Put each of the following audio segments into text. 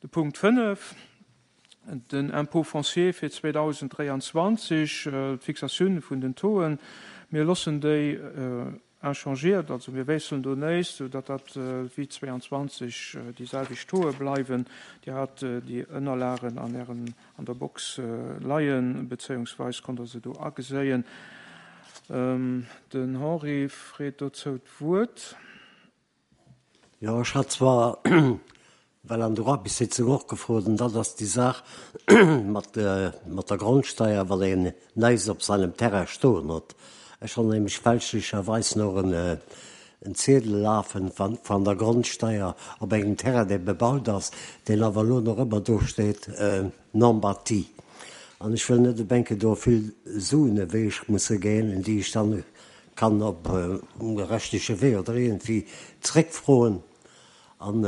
De Punkt 5, den Impôt foncier fir 2023, d'Fixatioun vun den Tauxen. Mir loossen déi inchangéiert, also mir wiesselen do néist, sou datt dat wéi 22 déi selwecht Tauxe bleiwen. Dir hat déi Ënnerlagen an Ären, an der Box leien, bezéiungsweis konnt Der se do ageséien. Den Henri freet dozou d'Wuert. Jo, ech hat zwar well an der Aarbechtssitzung och gefrot, an dat ass déi Saach mat mat der Grondsteier, wann een näischt op seinem Terrain stoen huet. Ech hunn nämlech fälschlecherweis nach en en Ziedel lafen van der Grondsteier op engem Terrain, dee bebaut ass, deen awer elo nach ëmmer do steet, non bâti. An ech wëll net op eng Kéier do vill Suen ewech musse ginn, déi ech dann kann op rechtliche Wee oder iergendwéi zréckfroen an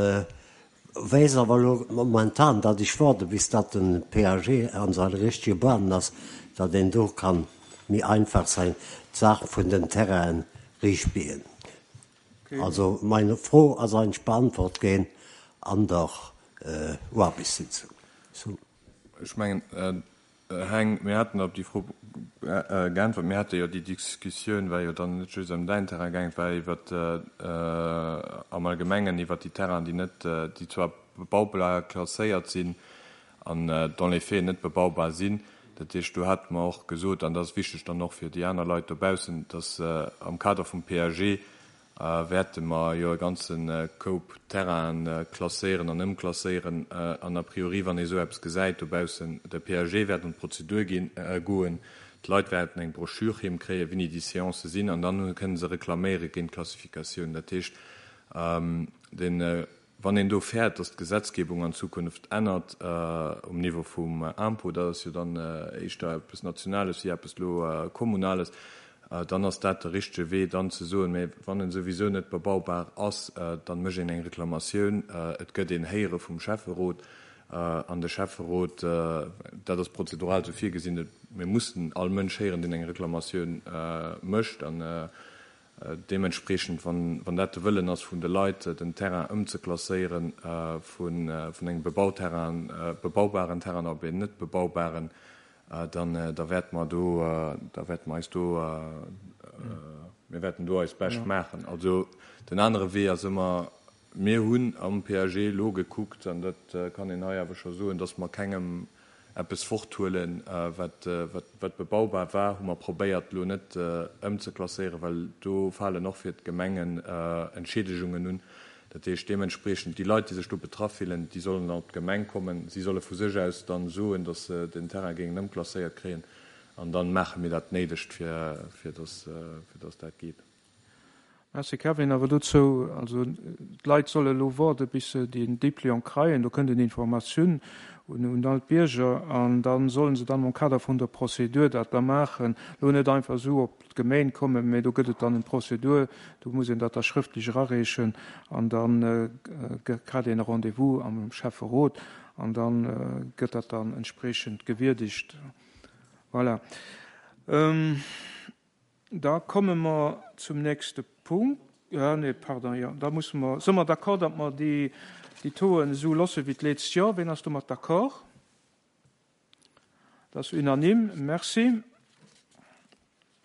weess awer elo momentan, datt ech waarde bis datt de PAG an seine richtege Bahnen ass, datt een do kann méi einfach säin d'Saach vun den Terrainen riichtbiegen. Also meng Fro ass eigentlech beantwort ginn an der Aarbechtssitzung. Ech mengen, Heng, mir haten op déi Fro geäntwert. Mir hate jo déi Diskussioun, war jo dann net just ëm däin Terrain gaangen, et war iwwert am Allgemengen iwwert déi Terrainen, déi net, déi zwar bebaubar klasséiert sinn an dans les faits net bebaubar sinn. Dat heescht, do hate mer och gesot, an dat ass wichteg dann och fir déi aner Leit dobaussen, dass am Kader vum PAG wäerte mer jo e ganze Koup Terrainen klasséieren an ëmklasséieren. An a priori, wann ee esou eppes gesäit dobaussen, de PAG wäert an d'Prozedur ginn, goen, d'Leit wäerten eng Broschür heem kréien, wéini déi Seancë sinn, an dann kënne se reklaméiere géint d'Klassifikatioun. Dat heescht, den, wann een do fäert, datt d'Gesetzgebung an Zukunft ännert um Niveau vum Impôt, dat ass jo dann éischter eppes Nationales wéi eppes elo Kommunales, dann ass dat de richtege Wee, dann ze soen, mä wann en souwisou net bebaubar ass, dann mécht een eng Reklamatioun, et gëtt een Héiere vum Schäfferot an de Schäfferot, dat ass prozedural esou virgesinn, mir mussen all Mënsch héieren, deen eng Reklamatioun mécht an deementspreechend, wann dat de Wëllen ass vun de Leit, den Terrain ëmzeklasséieren vun engem Bebauterrain, bebaubaren Terrain op een net bebaubaren, dann da wäerte mer do, da wäerte mer eis do, mir wäerten do eist Bescht maachen. Also den anere Wee ass ëmmer, mir hunn am PAG elo gekuckt, an dat kann een hei awer scho soen, dass mer kengem eppes forthuelen, wat, wat bebaubar war, hu mer probéiert elo net ëmzeklasséieren, well do falen och fir d'Gemengen Entschiedegungen un. Dat heescht deementspreechend, déi Leit, déi sech do betraff fillen, déi sollen dann op d'Gemeng kommen. Si solle vu sech aus dann soen, datt se den Terrain géingen ëmklasséiert kréien, an dann maache mir dat Néidegt, fir, fir datt, fir datt dat geet. Merci Kevin. Awer dozou, also d'Leit solle elo woarde bis se deen Dépliant kreien, do kënnt en Informatioun un all d'Bierger an da sollen se dann am Kader vun der Prozedur dat da maachen. Elo net einfach esou op d'Gemeen kommen, mä do gëtt et dann en Prozedur, do muss een dat da schrëftlech erareechen an da kritt een e Rendez-vous am Schäfferot an da gëtt dat dann entspreechend gewierdegt. Voilà. Da komme mer zum nächste Punkt. Ah, nee, pardon, jo, da musse mer, si mer d'accord, datt mer déi, déi Tauxen esou loosse wéi d'letzst Joer? Ween ass domat d'accord? Dat ass unanime. Merci.